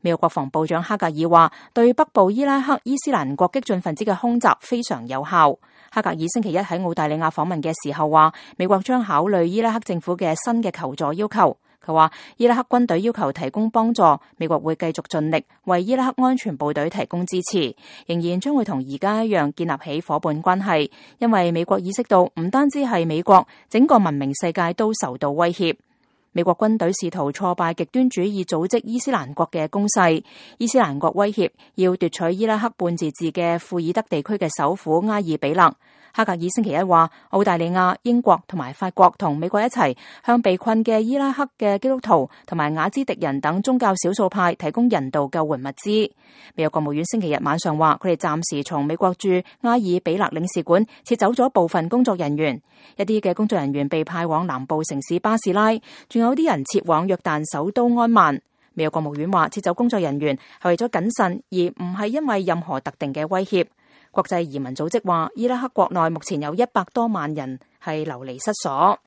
美國國防部長哈格爾話，對北部伊拉克伊斯蘭國激進分子嘅空襲非常有效。哈格爾星期一喺澳大利亞訪問嘅時候話，美國將考慮伊拉克政府嘅新嘅求助要求。佢話，伊拉克軍隊要求提供幫助，美國會繼續盡力為伊拉克安全部隊提供支持，仍然將會同而家一樣建立起夥伴關係，因為美國意識到唔單止係美國，整個文明世界都受到威脅。美國軍隊試圖挫敗極端主義組織伊斯蘭國嘅攻勢，伊斯蘭國威脅要奪取伊拉克半自治嘅庫爾德地區嘅首府埃爾比勒。哈格爾星期一話，澳大利亞、英國同埋法國同美國一齊向被困嘅伊拉克嘅基督徒同埋雅茲迪人等宗教少數派提供人道救援物資。美國國務院星期日晚上話，佢哋暫時從美國駐埃爾比勒領事館撤走咗部分工作人員，一啲嘅工作人員被派往南部城市巴士拉，仲有啲人撤往約旦首都安曼。美國國務院話，撤走工作人員係為咗謹慎，而唔係因為任何特定嘅威脅。國際移民組織話，伊拉克國內目前有100多萬人係流離失所。